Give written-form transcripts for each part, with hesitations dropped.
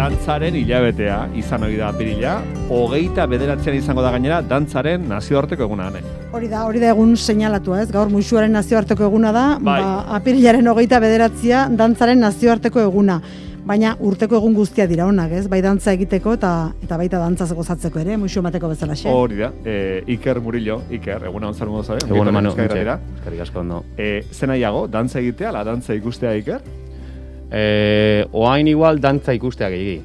dantzaren hilabetea izan hori da apirila, 29 izango da gainera dantzaren nazioarteko eguna. Hori da egun seinalatua, ez? Gaur musuaren nazioarteko eguna da, bai. Apirilaren 29 dantzaren nazioarteko eguna. Baina urteko egun guztia dira onak, ez? Bai dantza egiteko eta baita dantzaz gozatzeko ere, musu emateko bezalaxe. Hori da, Iker Murillo, eguna onzar modu zabe? Egun emano, eskerrik asko ondo. Zen nahiago, dantza egitea, ala dantza ikustea, Iker? Oain igual dantza ikustea gehi.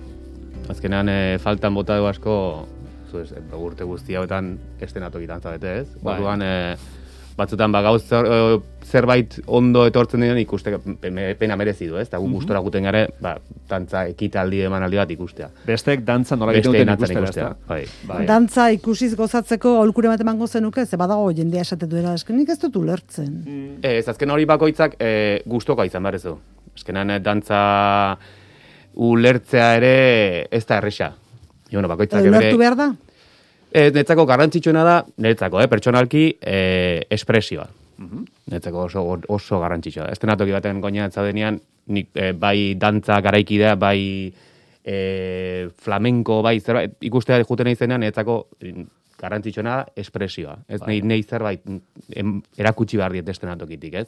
Azkenean faltan bota dugu asko, urte guzti hauetan estenatoki dantza bete, ez? Orduan, batzutan gauz zerbait ondo etortzen diren ikuste pena merezi du, ez? Eta gustora guten gare, dantza ekitaldi emanaldi bat ikustea. Bestek dantza nola egiten duten ikustera, bai. Dantza ikusiz gozatzeko aholkure bat emango zenuke, ze badago jendea esate duela, nik ez dut ulertzen. Ez, azken hori bakoitzak gustoka izan behar ez du. Azkenan dantza ulertzea ere ez da erresa. Bakoitzak ulertu behar da? Netzako garrantzitsuena da, pertsonalki espresioa. Netzako oso garrantzitsua da. Estenatoki baten goinatza denean, nik bai dantza garaikidea, bai flamenko, bai zerbait, ikustea juten izenean, netzako garrantzitsuena da espresioa. Ez nahi zerbait erakutsi behar diet estenatokitik, ez?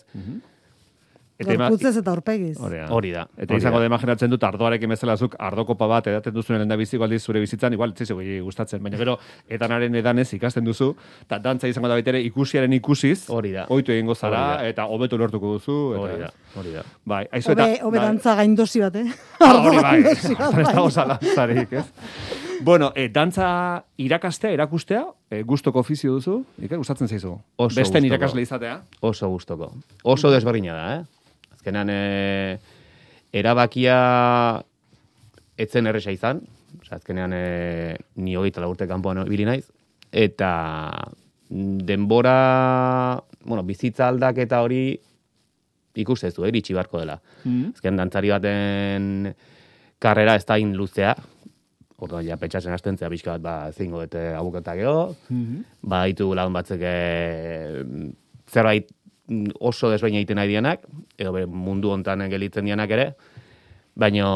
Gorputzez eta aurpegiz. Hori da. Eta izango da imaginatzen dut ardoarekin bezalazuk ardokopa bat edaten duzu lehen da biziko aldiz zure bizitzan, igual ez gustatzen, baina gero etanaren edanez ikasten duzu, eta dantza izango da baitere ikusiaren ikusiz, ohitu egingo zara, eta hobeto lortuko duzu. Hori da. Bai, hobe dantza gaindosi bat, Hori bai, ez dago zalantzarik, ez? Bueno, dantza irakastea, erakustea, gustoko ofizio duzu, gustatzen zaizu? Besten irakasle izatea? Oso gustoko. Oso desberdina da, Azkenan, erabakia etzen erresa izan, azkenean ni 24 urte kanpoan ibili naiz, eta denbora, bizitza aldaketa hori ikustezu, iritsi barko dela. Azkenan, dantzari baten karrera ez da luzea, orduan ja pentsatzen hastentzea pixka bat zeingo dute abuketak ego, ditu lagun batzuk zerbait oso desbaina egiten nahi dianak, edo mundu hontan gelitzen dianak ere, baina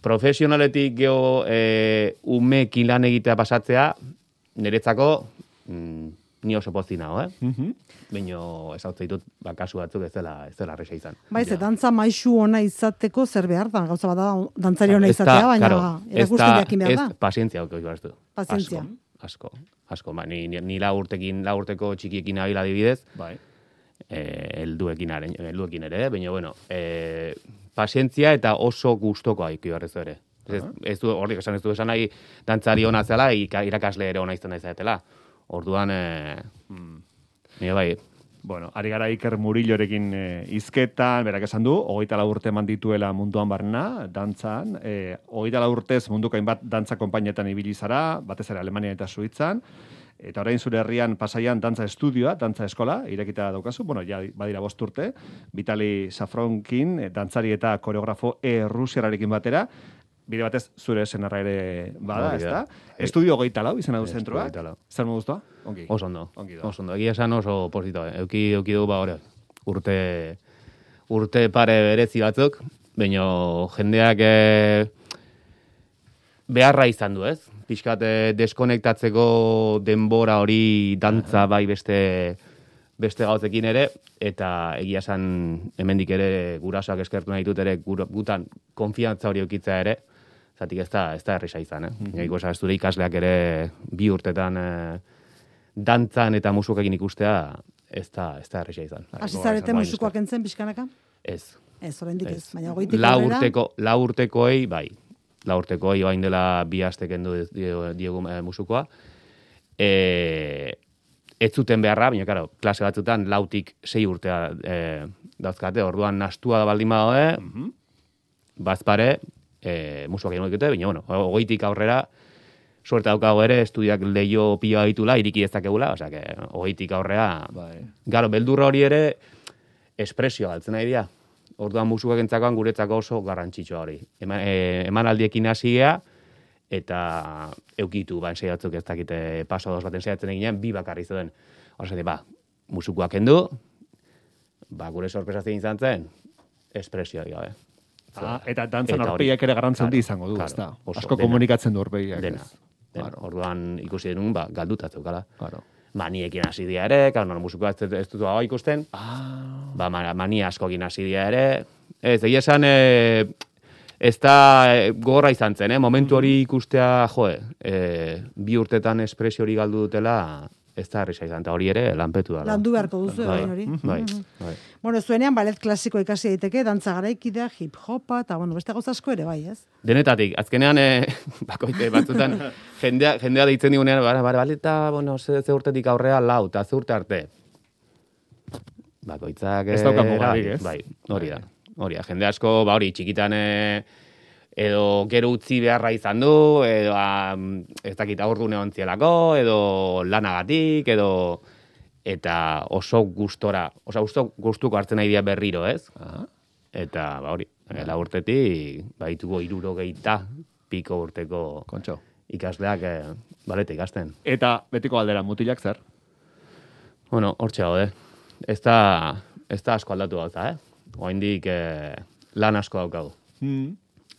profesionaletik geho umekin lan egitea pasatzea, niretzako ni oso pozti nago, baina ez hau zaitut kasu batzuk ez dela arresa izan. Baiz, dantza maisu ona izateko zer behar da, gauza bada dantzari ona izatea, baina erakusten jakin behar da. Ez pazientzia hauko izbaztu. Pazientzia. Asko, ni laurteko txikiekin abila adibidez, helduekin ere, baina, pazientzia eta oso gustoko haiki barrez ere. Horrik esan ez du esan nahi dantzari ona zela, irakasle ere ona izan da izatela. Orduan, nire bai. Bueno, ari gara Iker Murillorekin hizketan, berak esan du, 24 urte eman dituela munduan barna, dantzan, 24 urtez munduko hainbat dantza konpainietan ibili zara, batez ere Alemania eta Suitzan, eta orain zure herrian Pasaian dantza estudioa, dantza eskola, irekita daukazu, ja badira 5 urte, Vitali Safronkin, dantzari eta koreografo rusiararekin batera, bide batez zure senarra ere bada, ez da? Estudio 24 izena du zentroa. Zer modu guztua? Ongi. Oso ondo. Egia esan oso posito. Euki dugu urte pare berezi batzuk, baina jendeak beharra izan du, ez? Pixkat deskonektatzeko denbora hori dantza bai beste gauzekin ere, eta egia esan hemendik ere gurasoak eskertu nahi dut ere gutan konfiantza hori eukitza ere, zatik ez da erresa izan, Gaiko esan ez dure ikasleak ere 2 urtetan dantzan eta musukekin ikustea ez da erresa izan. Hasi zarete musukoak entzen pixkanaka? Ez. Ez, oraindik ez. Baina goitik aurrera? Lau urtekoei, bai. Lau urtekoei bain dela 2 aste kendu diegu musukoa. Ez zuten beharra, baina, karo, klase batzutan 4-6 urtea dauzkate, orduan nastua da baldin badaude, bazpare, musuak egin dute, baina, 20 aurrera, suerte daukago ere, estudiak leio pila ditula, iriki ez dakegula, osea, 20 aurrera, garo, beldurra hori ere, espresioa galtzen nahi dira. Orduan musuak entzakoan guretzako oso garrantzitsua hori. Emanaldiekin hasia, eta eukitu, ensaiatzuk ez dakite paso 2 baten saiatzen eginean, 2 bakarri zuen. Horra musukoak kendu, gure sorpresa zein izan zen, espresioa gabe. Eta dantzan aurpegiak ere garrantza handi izango du, ezta? Asko komunikatzen du aurpegiak. Dena. Orduan ikusi denun, galduta zeukala. Claro. Maniekin hasi dira ere, musikoa ez dut hau ikusten. Mania askokin hasi dira ere. Ez, egia esan, ez da gogorra izan zen, momentu hori ikustea, bi urtetan espresio hori galdu dutela, ez da harri izan, eta hori ere lanpetu da. Landu beharko duzu, hori. Bai. Bueno, zuenean ballet klasiko ikasi daiteke, dantza garaikidea, hip-hopa, eta beste gauza asko ere, bai, ez? Denetatik, azkenean, bakoite batzutan, jendea deitzen digunean, baleta, ze urtetik aurrea lau, eta ze urte arte. Bakoitzak... Ez dauka mugarik, ez? Bai, hori da. Jende asko, hori, txikitan edo gero utzi beharra izan du, edo ez dakit aurdune ontzielako, edo lanagatik, edo... Eta oso gustuko hartzen nahi dira berriro, ez? Eta, hori, la urtetik, baituko 60 piko urteko ikasleak baleta ikasten. Eta betiko galdera, mutilak zer? Bueno, hortxe gaude. Ez da asko aldatu gauza, Oraindik lan asko daukagu.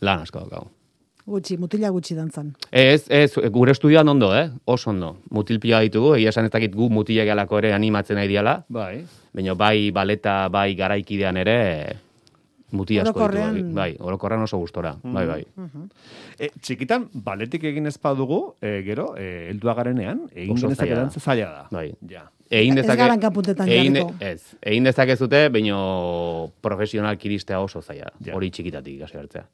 Lan asko daukagu. Mutila gutxi dantzan. Ez, gure estudioan ondo, oso ondo. Mutil pila ditugu, egia esan ez dakit gu mutilak alako ere animatzen nahi diala. Bai. Baina bai baleta, bai garaikidean ere mutil asko ditugu. Bai, orokorrean oso gustora. Bai. Txikitan, baletik egin ez badugu, gero, heldua garenean, egin genezak edantza zaila da. Bai. Ja. Ez garan kapuntetan jarriko. Egin dezake zute, baina profesional kiristea oso zaila. Hori txikitatik ikasi hartzea.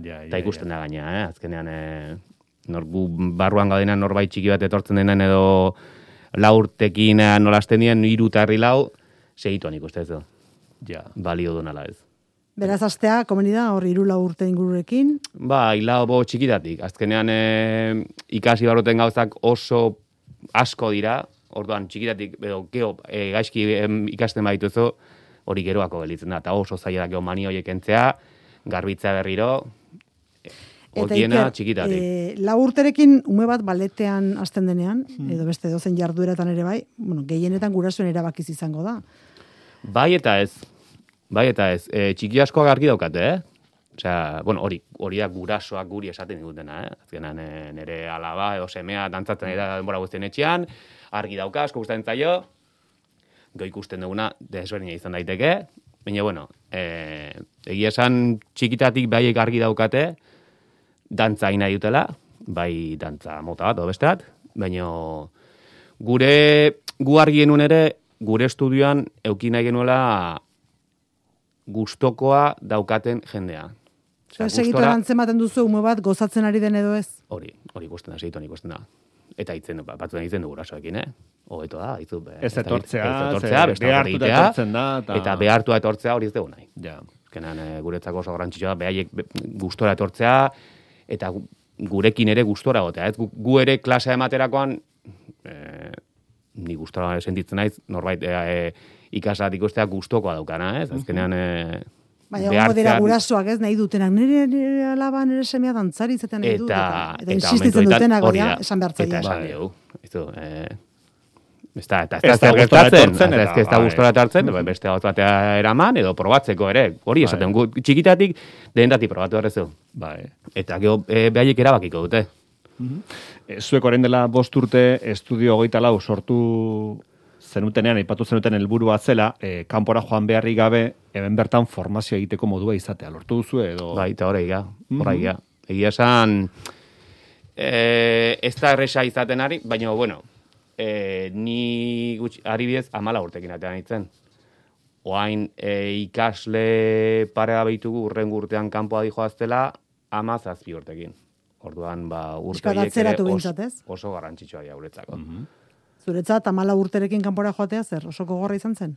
Eta ikusten da gaina, azkenean gu barruan gaudenean norbait txiki bat etortzen denen edo laurtekin nolasten dien 3 eta 4 segituan ikusten ez du. Balio du nala ez. Beraz, astea, komeni da, hor 3-4 urte ingururekin? Ba, hilabo txikitatik. Azkenean ikasi barroten gauzak oso asko dira. Orduan, txikitatik, gaizki ikasten badituzu, hori geroako gelitzen da. Eta oso zaila da mani horiek entzea, garbitza berriro, horiena txikitatik. 4 urterekin ume bat baletean hasten denean, edo beste dozen jardueratan ere bai, gehienetan gurasoen erabakiz izango da. Bai eta ez. Txiki askoak argi daukate, Osea, hori da gurasoak guri esaten digutena, Azkenan nire alaba edo semea dantzatzen da denbora guztien etxean, argi dauka, asko gustatzen zaio, ikusten duguna desberdina izan daiteke, baina, egia esan txikitatik baiek argi daukate, dantza nahi dutela, bai dantza mota bat, beste bat, baina gu argi genuen ere, gure estudioan eukin nahi genuela gustokoa daukaten jendea. Segitu erantzematen duzu ume bat gozatzen ari den edo ez? Hori ikusten da, segituan ikusten da. Eta batzuen itzen du gurasoekin, Hobeto da, itzu. Ez etortzea, behartuta etortzen da. Eta behartua etortzea hori ez dugu nahi. Ja. Azkenan guretzako oso garrantzitsua behaiek gustora etortzea, eta gurekin ere gustora gotea. Gu ere klasea ematerakoan, ni gustora sentitzen naiz, norbait ikasat ikustea gustokoa daukana, Azkenean... Baina gongo dira gurasoak nahi dutenak, nire alaba, nire semea dantzari izaten nahi dut. Eta insistitzen dutenak, esan behartzaia. Eta esan dugu. Ez da gustora etartzen, beste hau batea eraman, edo probatzeko ere. Hori esaten, txikitatik, denetatik probatu errezu. Eta behaiek erabakiko dute. Zuek orain dela 5 urte, estudio 24 sortu zenutenean, aipatu zenuten helburua zela, kanpora joan beharrik gabe, hemen bertan formazio egiteko modua izatea. Lortu duzu edo... Bai, eta horreiga. Egia esan, ez da erresa izaten ari, baina, ni ari bidez 14 urtekin atean itzen. Oain ikasle parea behitugu urrengo urtean kanpoa dijoaztela 17 urtekin. Orduan, urte horiek ere oso garrantzitsua dira guretzako. Zuretzat, 14 urterekin kanpora joatea zer, oso gogorra izan zen?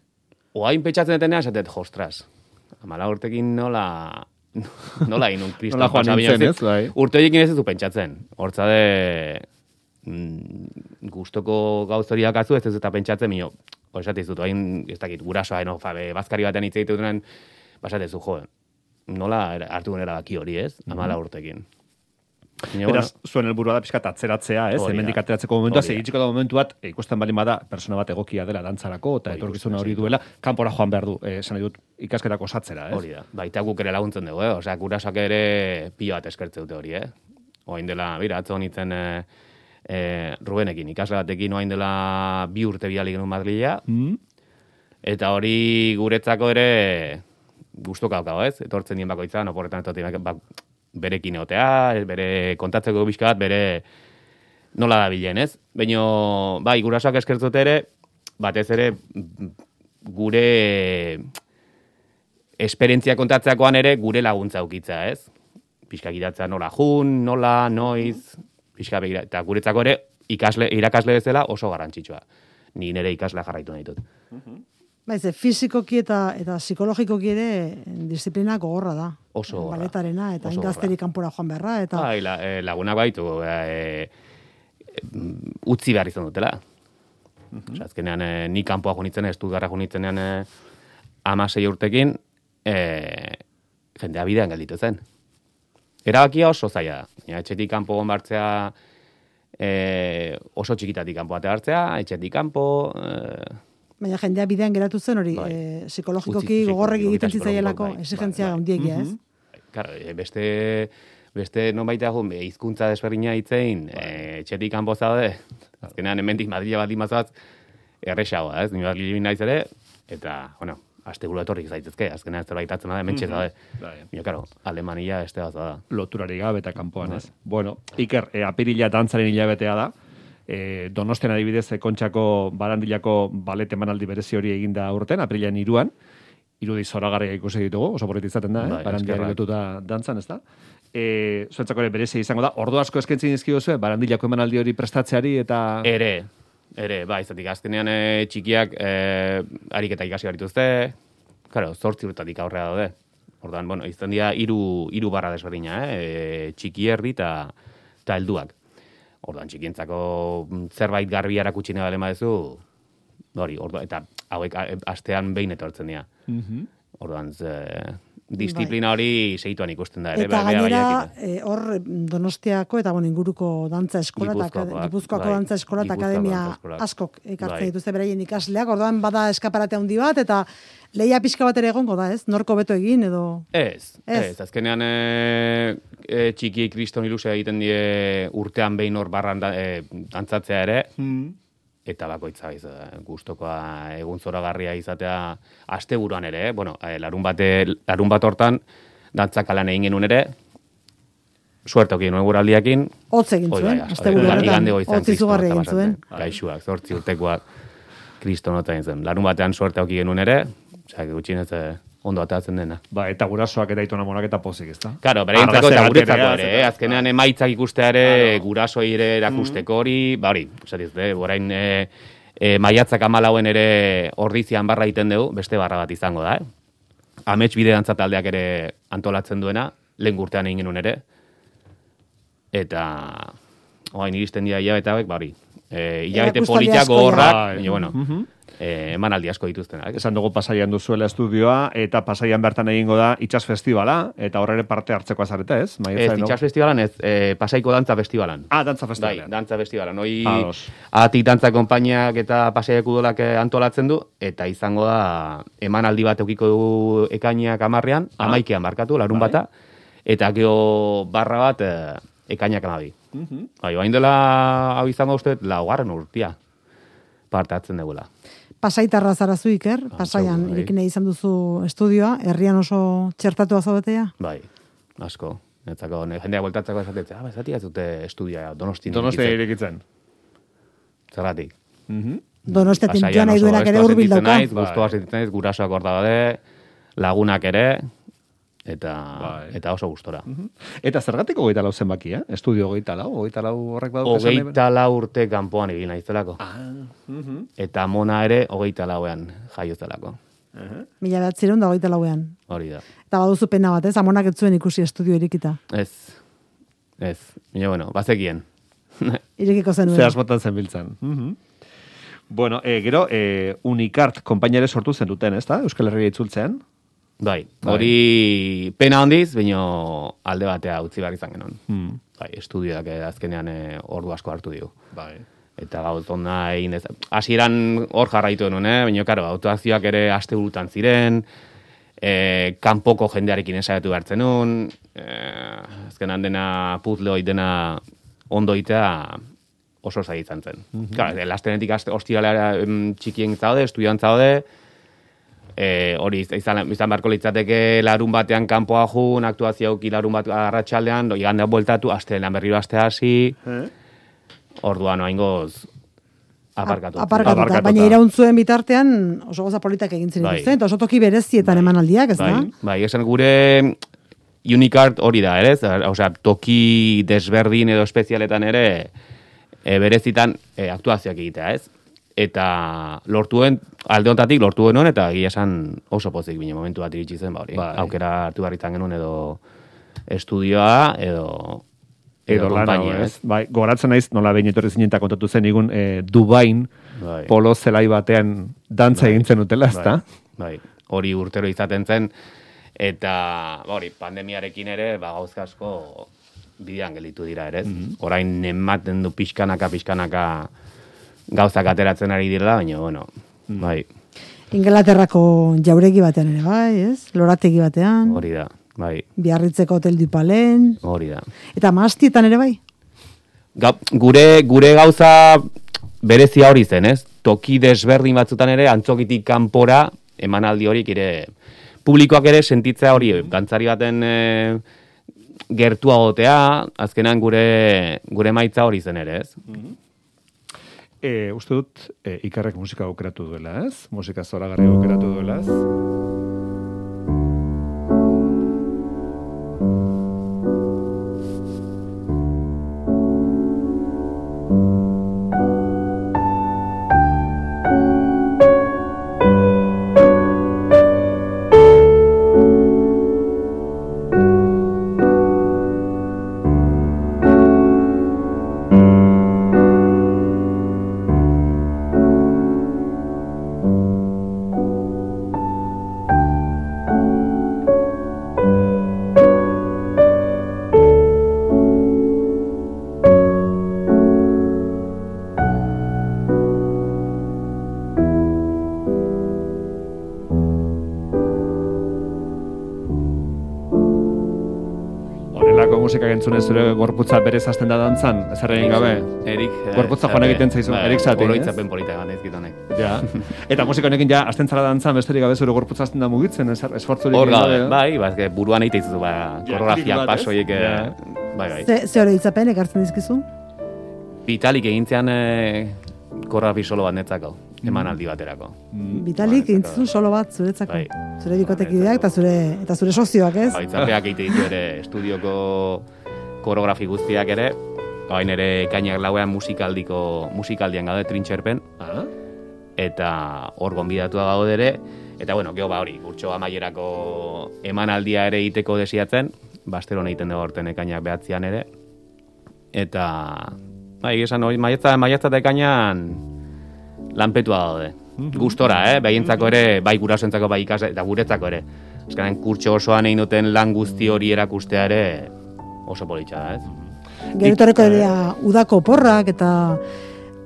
Oain petxatzen detenea, esatet, jostras. 14 urtekin nola inun kristal joan nintzen, ez, bai? Urte horiekin ez du pentsatzen. Hortzade, gustoko gauzoriak atzu, ez eta pentsatzen, esatez dut, oain, ez dakit, gurasoa, bazkari batean hitz egite dutenan, basatezu, nola hartu gunera baki hori, ez? 14 urtekin. Beraz, zuen helburua da pixkat atzeratzea, ez? Hemendik ateratzeko momentua, segitxiko da momentu bat, ikusten bali bada persona bat egokia dela dantzarako, eta etorkizuna hori duela, kanpora joan behar du, esan dut, ikasketak osatzera, ez? Hori da, baita guk ere laguntzen dugu, osea, gurasoak ere pilo bat eskertze dute hori, Oain dela, atzo honitzen Rubenekin, ikasle batekin oain dela 2 urte bidali genuen Madrila, eta hori guretzako ere gustuko daukago, ez? Etortzen dien bakoitzan, oporretan etortzen berekin egotea, bere kontatzeko bizka bat, bere nola da bilen, ez? Baina, bai, gurasoak eskertzute ere, batez ere gure esperientzia kontatzeakoan ere gure laguntza aukitza, ez? Pixka gidatzea nola jun, nola, noiz, pixka begira. Eta guretzako ere irakasle bezala oso garrantzitsua. Ni nire ikaslea jarraitu nahi dut. Baiz, fisikoki eta psikologikoki ere disiplina gogorra da. Oso gogorra. Baletarena, eta ingazterik kanpora joan beharra. Eta... Bai, lagunak baitu, utzi behar izan dutela. Azkenean, ni kanpoa junitzen, Stuttgartra junitzenean 16 urtekin, jendea bidean gelditu zen. Erabakia oso zaila da. Etxetik kanpo gonbartzea, oso txikitatik kanpo bate hartzea, etxetik kanpo... Baina jendea bidean geratu zen hori, psikologikoki gogorrek egiten zitzaielako exigentzia handiegia, ez? Claro, beste nonbaita hizkuntza desberdina hitzein, etxetik kanpo zaude, azkenean hemendik Madrila baldin bazatz, erresagoa, ez? Ni Madrila naiz ere, eta, bueno, asteburu etorrik zaitezke, azkenean zerbaitatzen da, hementxe zaude. Baina, claro, Alemania beste bat da. Loturari gabe eta kanpoan, ez? Bueno, Iker, apirila dantzaren hilabetea da. Donostian adibidez Kontxako Barandilako balet emanaldi berezi hori eginda urten, apirilean 3an, irudi zoragarria ikusi ditugu, oso borret izaten da, Barandiari lotuta dantzan, ez da? Zuentzako ere berezi izango da, ordu asko eskentzin izkiduzu, Barandilako emanaldi hori prestatzeari eta... Ere, bai, zatik azkenean txikiak ariketa ikasi barituzte, claro, 8 urtatik aurrea daude. Orduan, bueno, izan dira 3 barra desberdina, txiki erdi eta helduak. Orduan, txikientzako zerbait garbi erakutsi nahi balema dezu, hori, eta hauek astean behin etortzen dira. Orduan, disiplina hori segituan ikusten da ere. Eta gainera, hor Donostiako eta inguruko dantza eskola, Gipuzkoako dantza eskola eta akademia askok ekartzen dituzte beraien ikasleak, orduan bada eskaparate handi bat, eta lehia pixka bat ere egongo da, ez? Norko beto egin, edo... Ez. Azkenean txiki kriston ilusia egiten die urtean behin hor barran dantzatzea ere, eta bakoitza gustokoa egun zoragarria izatea asteburuan ere, bueno, larun bat hortan dantzak alan egin genuen ere, suerte okien nuen guraldiakin. Hotz egin zuen, asteburuan, hotz izugarri egin zuen. Gaixuak, 8 urtekoak kriston hotza egin zen. Larun batean suerte okien genuen ere, gutxinez ondo atatzen dena. Ba, eta gurasoak eta itona monak eta pozik, ez da? Claro, berentzako eta guretzako ere, azkenean emaitzak ikustea ere, gurasoi ere erakusteko hori, ba hori, orain maiatzak 14 ere ordizian barra egiten dugu, beste barra bat izango da, Amets bide dantza taldeak ere antolatzen duena, lehen urtean egin genuen ere, eta orain iristen dira hilabete hauek, ba hori, hilabete politiak gogorrak, bueno, emanaldi asko dituztenak. Esan dugu Pasaian duzuela estudioa, eta Pasaian bertan egingo da Itsas Festivala, eta horre parte hartzeko azareta, ez? Ez, Itsas Festivalan ez, Pasaiko Dantza Festivalan. Dantza Festivalan. Bai, Dantza Festivalan. Hoi, atik dantza konpainiak eta Pasaiako udalak antolatzen du, eta izango da emanaldi bat eukiko dugu ekainak 10ean, 11ean markatu, larun bata, eta geho barra bat ekainak 12. Bai, bain dela hau izango uste, 4. urtia parte hartzen dugula. Pasaitarra zarazu Iker, Pasaian irekin izan duzu estudioa, herrian oso txertatua zaudetea? Bai, asko. Netzako, jendea bueltatzako esatetzea, esatik ez dute estudioa Donostia irekitzen. Zergatik. Donostia tintua nahi duenak ere hurbil dauka. Gustoa sentitzen naiz, gurasoak hor daude, lagunak ere, eta oso gustora. Eta zergatik 24 zenbaki, Estudio 24 horrek badu? 24 urte kanpoan egin naizelako. Eta mona ere 24ean jaiozelako. 1924ean. Hori da. Eta baduzu pena bat, ez? Amonak ez zuen ikusi estudio irekita. Ez. Baina, bueno, bazekien. Irekiko zenuen. Ze asmotan zenbiltzan. Bueno, gero, Unicart konpainare sortu zen duten, ez da? Euskal Herria itzultzean. Bai, hori pena handiz, baina alde batea utzi behar izan genuen. Bai, estudioak azkenean ordu asko hartu dio. Bai. Eta gauz onda egin ez. Hasieran hor jarraitu genuen, baina karo, autoazioak ere aste burutan ziren, kanpoko jendearekin ensaiatu behartzen nuen, azkenan dena puzzle dena ondo itea oso zai izan zen. Claro, lastenetik ostiralea txikien zaude, estudian zaude, hori izan beharko litzateke larun batean kanpoa jun, aktuazioak larun bat arratsaldean, igandea bueltatu, astelenan berriro astea hasi, orduan oaingoz aparkatuta. Baina irauntzuen bitartean oso goza politak egin zen dituzten, eta oso toki berezietan emanaldiak, ez da? Bai, esan gure Unicart hori da, ere? Osea, toki desberdin edo espezialetan ere berezitan aktuazioak egitea, ez? Eta alde hontatik lortu genuen, eta egia esan oso pozik bine momentu bat iritsi zen, hori. Aukera hartu behar izan genuen edo estudioa, edo kompainia, ez? Bai, goratzen naiz, nola behin etorri zinen eta kontatu zen igun Dubain polo zelai batean dantza egintzen utela, ez da? Bai, hori urtero izaten zen, eta hori, pandemiarekin ere, gauzka asko bidean gelditu dira, ere? Orain ematen du pixkanaka gauzak ateratzen ari direla, baina, bueno, bai. Inglaterrako jauregi batean ere, bai, ez? Lorategi batean. Hori da, bai. Biarritzeko Hotel du Palen. Hori da. Eta Mahastietan ere, bai? Gure gauza berezia hori zen, ez? Toki desberdin batzutan ere, antzokitik kanpora, emanaldi horik ere, publikoak ere sentitzea hori, dantzari baten gertua gotea, azkenan gure maitza hori zen ere, ez? Uste dut, Ikarrek musika aukeratu duela, ez? Musika zoragarri aukeratu duela, ez? musika entzunez zure gorputza berez hasten da dantzan, ez egin gabe. Erik. Gorputza joan egiten zaizu, Erik Satin. Oroitzapen polita gana ezkitonek. Ja. Eta musika honekin ja hasten zara dantzan, besterik gabe zure gorputza hasten da mugitzen, esfortzurik egin gabe. Bai, buruan egite izutu, koreografia pasoiek. Bai. Ze oroitzapen ekartzen dizkizu? Vitalik egintzean koreografi solo bat netzako. Emanaldi baterako. Vitalik egin solo bat zuretzako. Zure bikotekideak eta zure sozioak, ez? Baitzapeak egite ditu ere estudioko koreografi guztiak ere. Hain ere ekainak lauean musikaldian gaude trintxerpen. Eta hor gonbidatua gaude ere. Eta bueno, geho hori, urtso amaierako emanaldia ere egiteko desiatzen. Basteron egiten dugu horten ekainak behatzean ere. Eta esan hori, maiatzat ekainan lanpetua daude. Gustora, behientzako ere, bai gurasoentzako, bai ikas, eta guretzako ere. Azkenean kurtso osoan egin duten lan guzti hori erakustea ere oso politxa da, ez? Gerutoreko dira udako porrak eta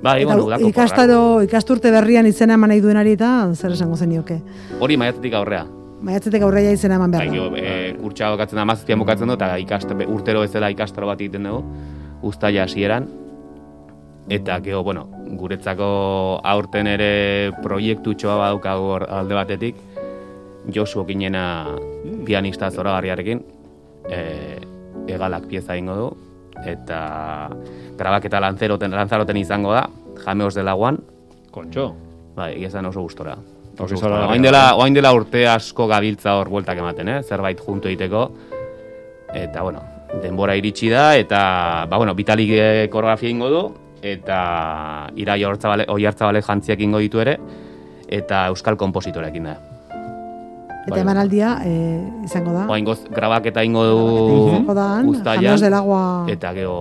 udako ikasturte berrian izena eman nahi duenari eta zer esango zenioke? Hori maiatzetik aurrea. Maiatzetik aurrea izena eman behar da. Kurtsa bokatzen da, mazaztian bukatzen du, eta urtero ezela ikastaro bat egiten dugu, uztaila hasieran. Eta geho, guretzako aurten ere proiektutxoa badaukagu alde batetik, Josu okinena pianista zoragarriarekin, egalak pieza ingo du, eta grabaketa Lanzaroten izango da, Jameos de Laguan. Kontxo. Egizan oso gustora. Oain dela urte asko gabiltza hor bueltak ematen, zerbait junto egiteko. Eta, denbora iritsi da, eta, Vitalik koreografia ingo du, eta Irai Oiartzabale jantziak ingo ditu ere, eta euskal kompositorekin da. Eta emanaldia izango da? Oaingoz grabaketa ingo du uztailan, eta geho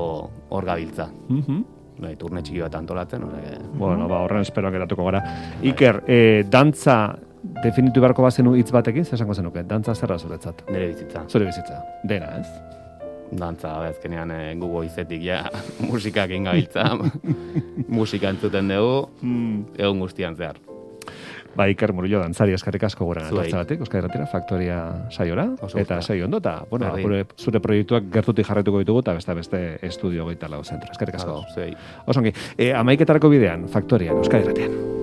hor gabiltza. Turne txiki bat antolatzen. Horren espero geratuko gara. Iker, dantza definitu beharko bazenu hitz batekin, zer esango zenuke? Dantza zerra zuretzat? Nire bizitza. Zure bizitza. Dena, ez? Dantza, azkenean gugo izetik ja musikak ingabiltza. Musika entzuten dugu, egun guztian zehar. Ba, Iker Murillo dantzari eskerrik asko gurean etortzagatik, Euskal Herratira Faktoria saiora, eta saio ondo, eta, bueno, zure proiektuak gertutik jarretuko ditugu, eta beste estudio 24 zentro. Eskerrik asko. Osongi, 11:00 bidean, Faktorian, Euskal Herratian.